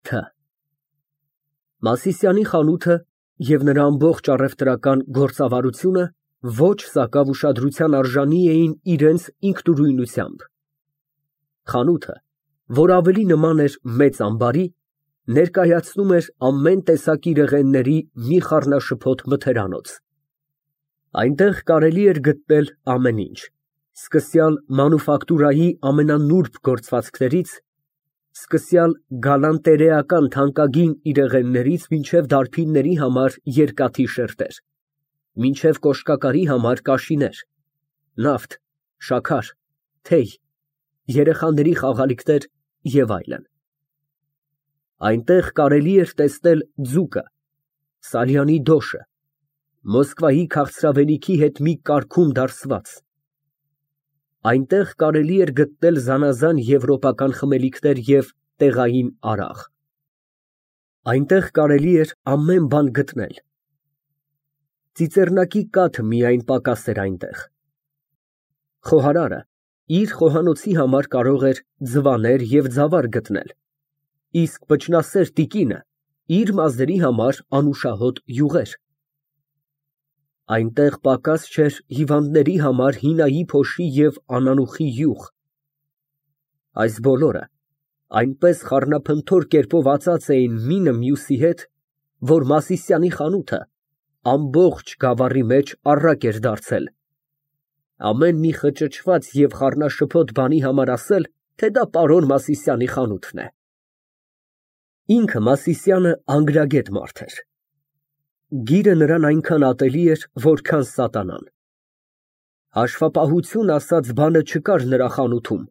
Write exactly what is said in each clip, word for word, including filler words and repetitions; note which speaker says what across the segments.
Speaker 1: Թ Մասիսյանի խանութը և նրա ամբողջ առևտրական գործավարությունը ոչ սակավ ուշադրության արժանի էին իրենց ինքնուրույնությամբ. խանութը, որ ավելի նման էր մեծ ամբարի, ներկայացնում էր ամեն տեսակ իրեղենների մի խառնաշփոթ մթերանոց. այնտեղ կարելի էր գտնել ամեն ինչ, սկսյալ մանուֆակտուրայի ամենանուրբ գործվածքներից, սկսյալ գալանտերեական թանկագին իրեղեններից մինչև դարբինների համար երկաթի շերտեր, մինչև կոշկակարի համար կաշիներ, նավթ, շաքար, թեյ, երեխաների խաղալիքներ և այլն. այնտեղ կարելի էր տեսնել ձուկը, Սարյանի դոշը, Մոսկվայի քաղցրավենիքի հետ մի կարգում դարսված, այնտեղ կարելի էր գտնել զանազան եվրոպական խմելիքներ և տեղային արաղ, այնտեղ կարելի էր ամեն բան գտնել, ծիծեռնակի կաթը միայն պակաս էր այնտեղ, խոհարարը իր խոհանոցի համար կարող էր ձվաներ և ձավար գտնել, իսկ վճռասեր տիկինը իր մազերի համար անուշահոտ յուղեր, այնտեղ պակաս չէր հիվանդների համար հինայի փոշի և անանուխի յուղ, այս բոլորը այնպես խառնափնթոր կերպով ածած էին մինը մյուսի հետ, որ Մասիսյանի խանութը ամբողջ գավառի մեջ առակ էր դարձել, ամեն մի խճճված և խառնաշփոթ բանի համար ասել, թե դա պարոն Մասիսյանի խանութն է։ Ինքը Մասիսյանը անգրագետ մարդ էր, գիրը նրան այնքան ատելի էր, որքան սատանան, հաշվապահություն ասած բանը չկար նրա խանութում,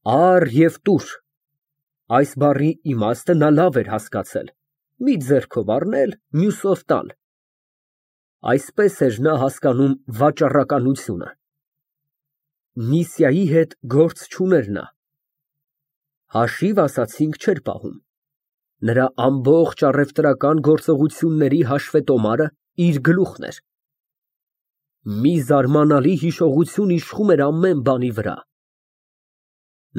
Speaker 1: առ և տուր, այս բառի իմաստը նա լավ էր հասկացել, մի ձեռքով առնել, մյուսով տալ, այսպես էր նա հասկանում վաճառականությունը, Միսիայի հետ գործ չուներ նա, հաշիվ ասացինք չէր պահում, նրա ամբողջ առևտրական գործողությունների հաշվետոմարը իր գլուխն էր, մի զարմանալի հիշողություն իշխում էր ամեն բանի վրա,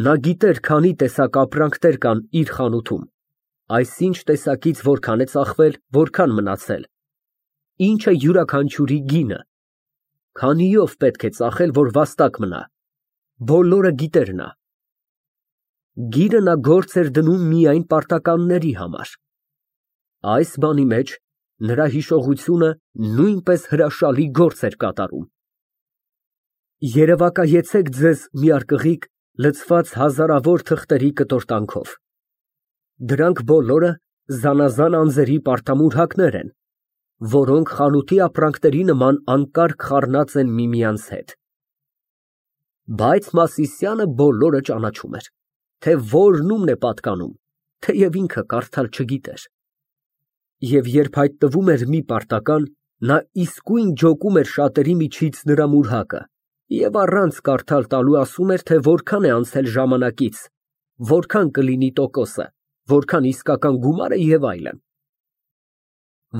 Speaker 1: նա գիտեր քանի տեսակ ապրանքներ կան իր խանութում, այսինչ տեսակից որքան է ծախվել, որքան մնացել, ինչ է յուրաքանչյուրի գինը, քանիով պետք է ծախել, որ վաստակ մնա, բոլորը գիտեր նա, գիրը նա գործ էր դնում միայն պարտականների համար, այս բանի մեջ նրա հիշողությունը նույնպես հրաշալի գործ էր կատարում, երևակայեցեք ձեզ մի արկղիկ լցված հազարավոր թղթերի կտորտանքով, դրանք բոլորը զանազան անձերի պարտամուրհակներ են, որոնք խանութի ապրանքների նման անկարգ խառնած են միմյանց հետ, բայց Մասիսյանը բոլորը ճանաչում էր, թե որն ումն է պատկանում, թեև ինքը կարդալ չգիտեր, և երբ հայտնվում էր մի պարտական, նա իսկույն ջոկում էր շատերի միջից նրա մուրհակը և առանց կարդալ տալու ասում էր, թե որքան է անցել ժամանակից, որքան կլինի տոկոսը, որքան իսկական գումարը և այլն,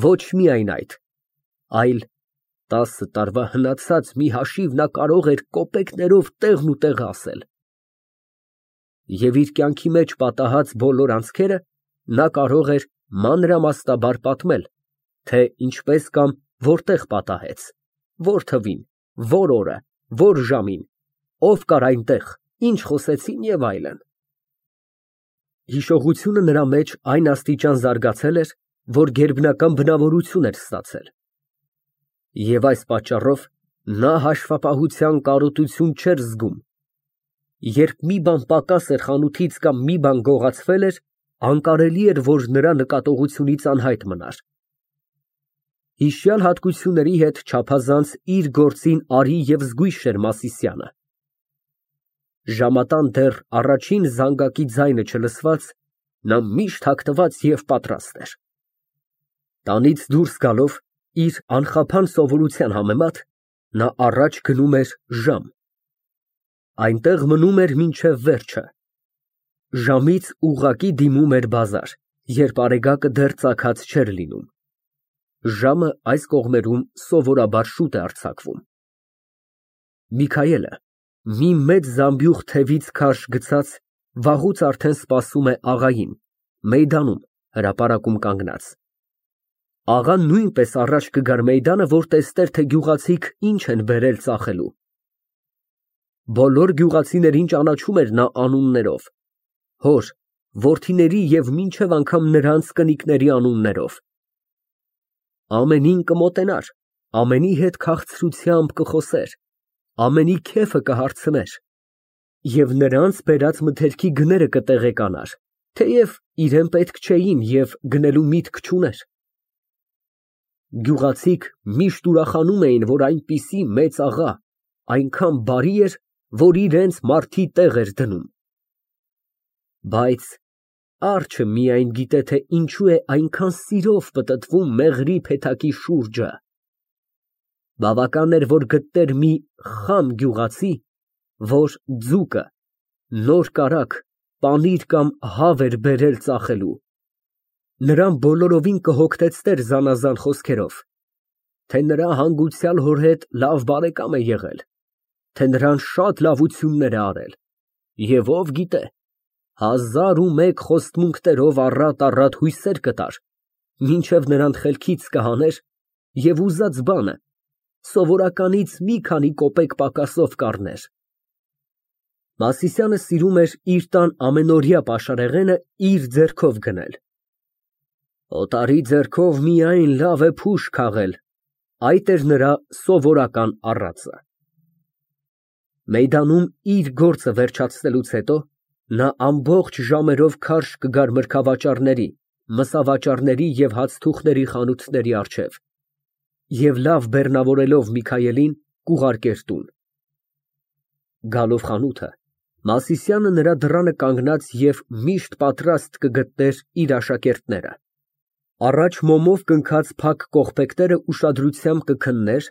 Speaker 1: ոչ միայն այդ, այլ տասը տարվա հնացած մի հաշիվ նա կարող էր կոպեկներով տեղն ու տեղը ասել, և իր կյանքի մեջ պատահած բոլոր անցքերը նա կարող էր մանրամասնաբար պատմել, թե ինչպես կամ որտեղ պատահեց, որ թվին, որ օրը, որ ժամին, ով կար այնտեղ, ինչ խոսեցին և այլն, հիշողությունը նրա մեջ այն աստիճան զարգացել էր, որ գերբնական բնավորություն էր ստացել, և այս պատճառով նա հաշվապահության կարոտություն չէր զգում, երբ մի բան պակաս էր խանութից կամ մի բան գողացվել էր, անկարելի էր, որ նրա նկատողությունից անհայտ մնար, հիշյալ հատկությունների հետ չափազանց իր գործին արի և զգույշ էր Մասիսյանը, ժամատան դեռ առաջին զանգակի ձայնը չլսված, նա միշտ հագնված և պատրաստ էր, տանից դուրս գալով, իր անխափան սովորության համեմատ, նա առաջ գնում էր ժամ, այնտեղ մնում էր մինչև վերջը, ժամից ուղղակի դիմում էր բազար, երբ արեգակը դեռ ծագած չէր լինում, ժամը այս կողմերում սովորաբար շուտ է արձակվում, Միքայելը մի մեծ զամբյուղ թևից քարշ գցած վաղուց արդեն սպասում է աղային, Մեյդանում, հրապարակում կանգնած։ Աղան նույնպես առաջ կգար մեյդանը, որ տեսներ, թե գյուղացիք ինչ են բերել ծախելու։ Բոլոր գյուղացիներին ճանաչում էր նա անուններով, հոր, որդիների և մինչև անգամ նրանց կնիկների անուններով։ Ամենին կմոտենար, ամենի հետ քաղցրությամբ կխոսեր, ամենի քեֆը կհարցներ և նրանց բերած մթերքի գները կտեղեկանար, թեև իրեն պետք չէին և գնելու միտք չուներ։ Գյուղացիք միշտ ուրախանում էին, որ այնպիսի մեծ աղա այնքան բարի էր, որ իրենց մարդի տեղ էր դնում։ Բայց արջը միայն գիտե, թե ինչու է այնքան սիրով պտտվում մեղրի փեթակի շուրջը։ Բավական էր, որ գտներ մի խամ գյուղացի, որ ձուկը, նոր կարագ, պանիր կամ հավ էր բերել ծախելու, նրան բոլորովին կհոգնեցներ զանազան խոսքերով, թե նրա հանգուցյալ հոր հետ լավ բարեկամ է եղել, թե նրան շատ լավություններ է արել, և ով գիտե, հազար ու մեկ խոստմունքներով առատ֊առատ հույսեր կտար, մինչև նրան խելքից կհաներ և ուզած բանը սովորականից մի քանի կոպեկ պակասով կառներ։ Մասիսյանը սիրում էր իր տան ամենօրյա պաշարեղենը իր ձեռքով գնել։ Օտարի ձեռքով միայն լավ է փուշ քաղել, այդ էր նրա սովորական առածը։ Մեյդանում իր գործը վերջացնելուց հետո նա ամբողջ ժամերով քարշ կգար մրգավաճառների, մսավաճառների և հացթուխների խանութների առջև և լավ բեռնավորելով Միքայելին, կուղարկեր տուն։ Գալով խանութը, Մասիսյանը նրա դռանը կանգնած և միշտ պատրաստ կգտներ իր աշակերտները։ Առաջ մոմով կնքած փակ կողպեքները ուշադրությամբ կքններ,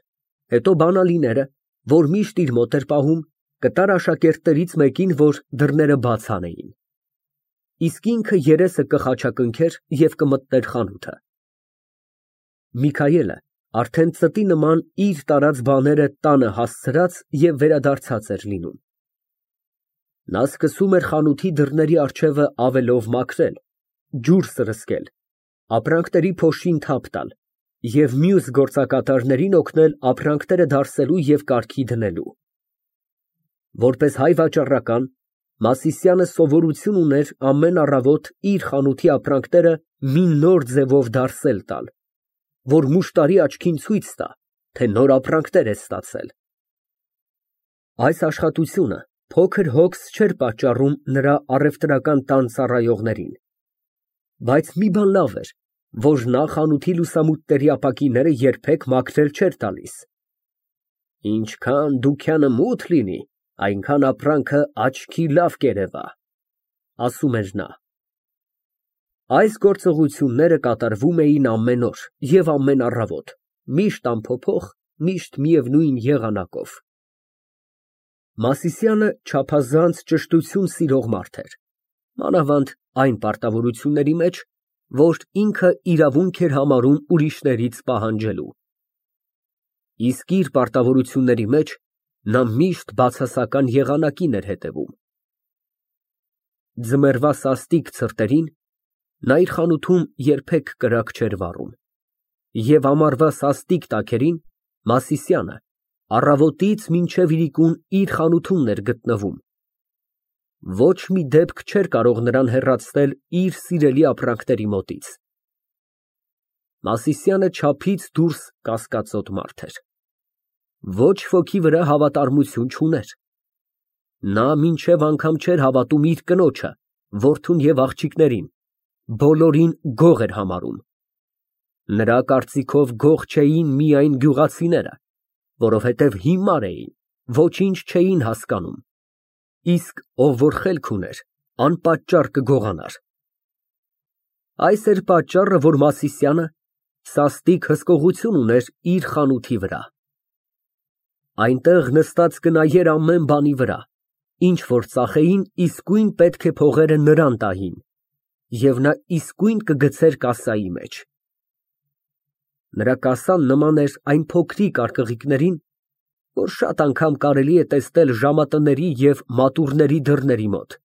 Speaker 1: հետո բանալիները, որ միշտ իր մոտ էր պահում, կտար աշակերտներից մեկին, որ դռները բաց անեին։ Իսկ ինքը երեսը կխաչակնքեր և կմտներ խանութը։ Միքայելը արդեն ծտի նման իր տարած բաները տանը հասցրած և վերադարձած էր լինում։ Նա սկսում էր խանութի դռների առջևը ավելով մաքրել, ջուր սրսկել, ապրանքների փոշին թափ տալ և մյուս գործակատարներին օգնել ապրանքները դարսելու և կարգի դնելու։ Որպես հայ վաճառական, Մասիսյանը սովորություն ուներ ամեն առավոտ իր խանութի ապրանքները մի նոր ձևով դարսել տալ, որ մուշտարի աչքին ցույց տա, թե նոր ապրանքներ է ստացել։ Այս աշխատությունը փոքր հոգս չէր պատճառում նրա առևտրական տան ծառայողներին, բայց մի բան լավ էր, որ նա խանութի լուսամուտների ապակիները երբեք մաքրել չէր տալիս։ Ինչքան դուքյանը մութ լինի, այնքան ապրանքը աչքի լավ կերևա, ասում էր նա։ Այս գործողությունները կատարվում էին ամեն օր և ամեն առավոտ, միշտ անփոփոխ, միշտ միևնույն եղանակով։ Մասիսյանը չափազանց ճշտություն սիրող մարդ էր, մանավանդ այն պարտավորությունների մեջ, որ ինքը իրավունք էր համարում ուրիշներից պահանջելու։ Իսկ իր պարտավորությունների մեջ նա միշտ բացասական եղանակին էր հետևում։ Ձմեռվա սաստիկ ցրտերին նա իր խանութում երբեք կրակ չէր վառում, և ամառվա սաստիկ տաքերին Մասիսյանը առավոտից մինչև իրիկուն իր խանութումն էր գտնվում։ Ոչ մի դեպք չէր կարող նրան հեռացնել իր սիրելի ապրանքների մոտից։ Մասիսյանը չափից դուրս կասկածոտ մարդ էր։ Ոչ ոքի վրա հավատարմություն չուներ։ Նա մինչև անգամ չէր հավատում իր կնոջը, որդուն և աղջիկներին, բոլորին գող էր համարում։ Նրա կարծիքով գող չէին միայն գյուղացիները, որովհետև հիմար էին, ոչինչ չէին հասկանում, իսկ ով որ խելք ուներ, անպատճառ կգողանար։ Այս էր պատճառը, որ Մասիսյանը սաստիկ հսկողություն ուներ իր խանութի վրա։ Այնտեղ նստած կնայեր ամեն բանի վրա, ինչ որ ծախեին, իսկույն պետք է փողերը նրան տային, և նա իսկույն կգցեր կասայի մեջ։ Նրա կասան նման էր այն փոքրիկ արկղիկներին, որ շատ անգամ կարելի է տեսնել ժամատների և մատուռների դռների մոտ,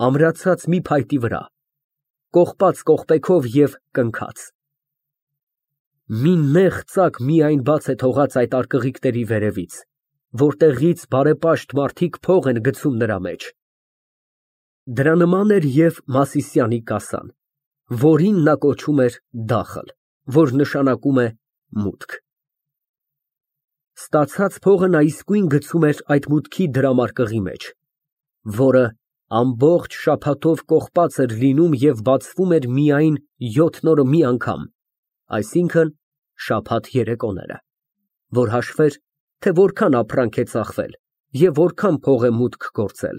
Speaker 1: ամրացած մի փայտի վրա, կողպած կողպեքով և կնքած։ Մի նեղ ծակ միայն բաց է թողած այդ արկղիկների վերևից, որտեղից բարեպաշտ մարդիկ փող են գցում նրա մեջ։ Դրա նման էր և Մասիսյանի կասան, որին նա կոչում էր դախլ, որ նշանակում է մուտք։ Ստացած փողը նա իսկույն գցում էր այդ մուտքի դրամարկղի մեջ, որը ամբողջ շաբաթով կողպած էր լինում և բացվում էր միայն յոթ օրը մի անգամ, այսինքն՝ շաբաթ երեկոները, որ հաշվեր, թե որքան ապրանք է ծախվել և որքան փող է մուտք գործել։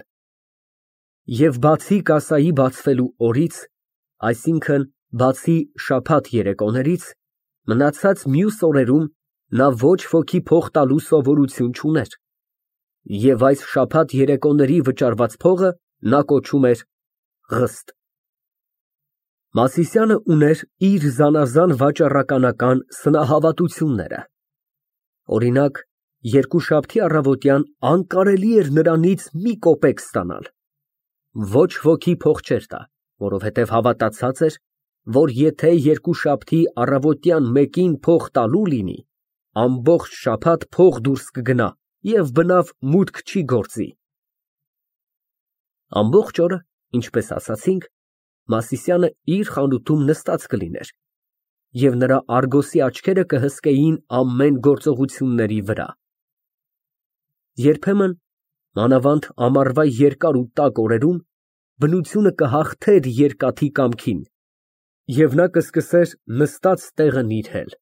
Speaker 1: Եվ բացի կասայի բացվելու օրից, այսինքն՝ բացի շաբաթ երեկոներից, մնացած մյուս օրերում նա ոչ ոքի փող տալու սովորություն չուներ, և այս շաբաթ երեկոների վճարված փողը նա կոչում էր ղստ։ Մասիսյանը ուներ իր զանազան վաճառականական սնահավատությունները, օրինակ, երկուշաբթի առավոտյան անկարելի էր նրանից մի կոպեկ ստանալ, ոչ ոքի փող չէր տա, որովհետև հավատացած էր, որ եթե երկուշաբթի առավոտյան մեկին փող տալու լինի, ամբողջ շաբաթ փող դուրս կգնա և բնավ մուտք չի գործի։ Ամբողջ օրը, ինչպես ասացինք, Մասիսյանը իր խանութում նստած կլիներ, և նրա արգոսի աչքերը կհսկեին ամեն գործողությունների վրա։ Երբեմն, մանավանդ ամառվա երկար ու տաք օրերում, բնությունը կհաղթեր երկաթի կամքին, և նա կսկսեր նստած տեղը նիրհել։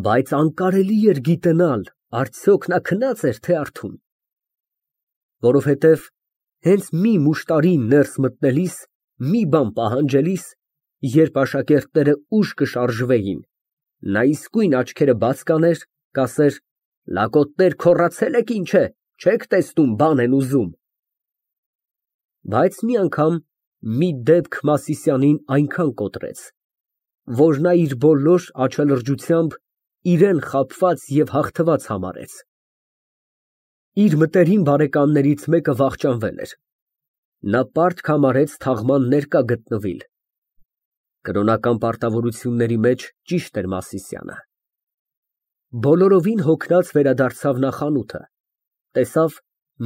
Speaker 1: Բայց անկարելի էր գիտենալ, արդյոք նա քնա՞ծ էր, թե արթուն։ Որովհետև հենց մի մուշտարի ներս մտնելիս, մի բան պահանջելիս, երբ աշակերտները ուշ կշարժվեին, նա իսկույն աչքերը բաց կաներ, կասեր. «Լակոտներ, քոռացե՞լ եք, ինչ է, չեք տեսնում, բան են ուզում»։ Բայց մի անգամ մի դեպք Մասիսյանին այնքան կոտրեց, որ նա իր բոլոր աչալրջությամբ իրան խաբված և հաղթված համարեց։ Իր մտերիմ բարեկամներից մեկը վախճանվել էր, նա պարտք համարեց թաղման ներկա գտնվիլ։ Կրոնական պարտավորությունների մեջ ճիշտ էր Մասիսյանը։ Բոլորովին հոգնած վերադարձավ նա խանութը, տեսավ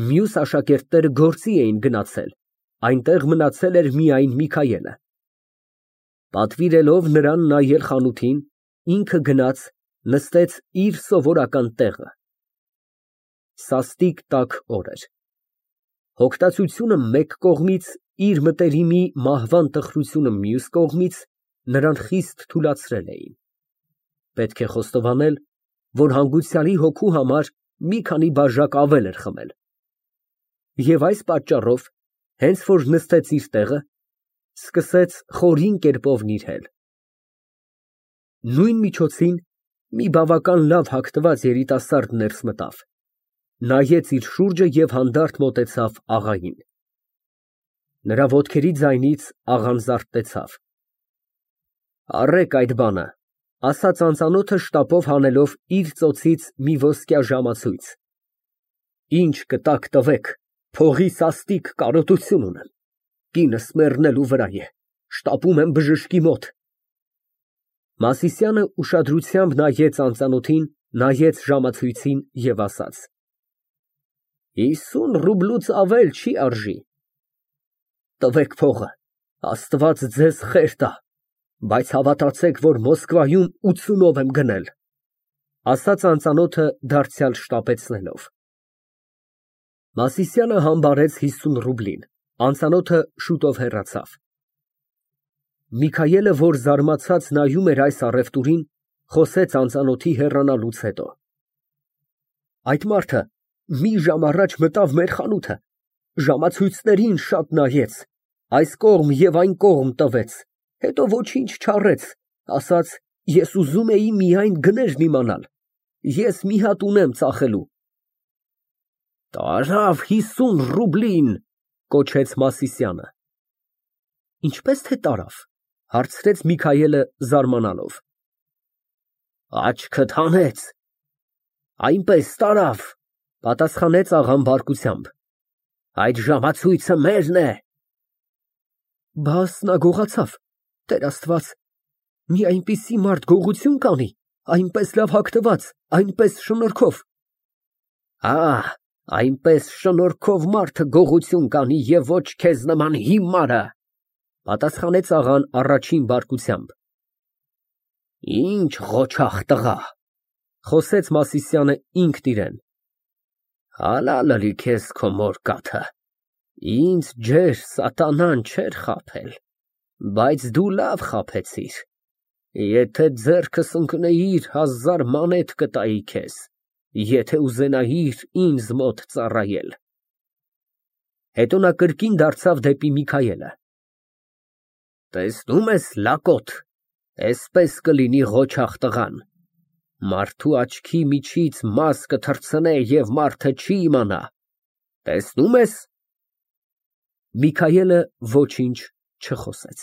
Speaker 1: մյուս աշակերտները գործի էին գնացել, այնտեղ մնացել էր միայն Միքայելը։ Պատվիրելով նրան նայել խանութին, ինքը գնաց, նստեց իր սովորական տեղը։ Սաստիկ տաք օր էր։ Հոգտացությունը մեկ կողմից, իր մտերիմի մահվան տխրությունը մյուս կողմից նրան խիստ թուլացրել էին։ Պետք է խոստովանել, որ հանգուցյալի հոգու համար մի քանի բաժակ ավել էր խմել։ Եվ այս պատճառով, հենց որ նստեց իր տեղը, սկսեց խորին կերպով նիրհել։ Նույն միջոցին մի բավական լավ հագնված երիտասարդ ներս մտավ, նայեց իր շուրջը և հանդարտ մոտեցավ աղային։ Նրա ոտքերի ձայնից աղան զարթնեցավ։ Առեք այդ բանը, ասաց անծանոթը շտապով հանելով իր ծոցից մի ոսկյա ժամացույց։ Ինչ կտաք, տվեք, փողի սաստիկ կարոտություն ունեմ, կինս մեռնելու վրա է, շտապում եմ բժշկի մոտ։ Մասիսյանը ուշադրությամբ նայեց անծանոթին, նայեց ժամացույցին և ասաց. Հիսուն ռուբլուց ավել չի արժի։ Տվեք փողը, Աստված ձեզ խեր տա, բայց հավատացեք, որ Մոսկվայում ութսունով եմ գնել, ասաց անծանոթը դարձյալ շտապեցնելով։ Մասիսյանը համբարեց հիսուն ռուբլին, անծանոթը շուտով հեռացավ։ Միքայելը, որ զարմացած նայում էր այս առևտուրին, խոսեց անծանոթի հեռանալուց հետո. Այդ մարդը մի ժամ առաջ մտավ մեր խանութը, ժամացույցներին շատ նայեց, այս կողմ և այն կողմ տվեց, հետո ոչինչ չառեց, ասաց. ես ուզում էի միայն գներն իմանալ, ես մի հատ ունեմ ծախելու։ Տարավ հիսուն ռուբլին, կոչեց Մասիսյանը։ Ինչպես թե տարավ, հարցրեց Միքայելը զարմանալով։ Աչքդ հանեց։ Այնպես տարավ, պատասխանեց աղան բարկությամբ։ Այդ ժամացույցը մերն է։ Բաս նա գողացավ, Տեր Աստված, մի այնպիսի մարդ գողություն կանի, այնպես լավ հագնված, այնպես շնորհքով։ Ահ, այնպես շնորհքով մարդը գողություն կանի և ոչ քեզ նման հիմարը, պատասխանեց աղան առաջին բարկությամբ։ Ինչ ղոչաղ տղա, խոսեց Մասիսյանը ինքն իրան, հալա լի քեզ քո մոր կաթը, ինձ ջեր սատանան չէր խաբել, բայց դու լավ խաբեցիր, եթե ձեռքս ընկնեիր, հազար մանեթ կտայի քեզ, եթե ուզենայիր ինձ մոտ ծառայել։ Հետո նա կրկին դարձավ դեպի Միքայելը. Տեսնում ես, լակոտ, էսպես կլինի ղոչաղ տղան, մարդու աչքի միջից մաս կթռցնե և մարդը չի իմանա, տեսնո՞ւմ ես։ Միքայելը ոչինչ չխոսեց։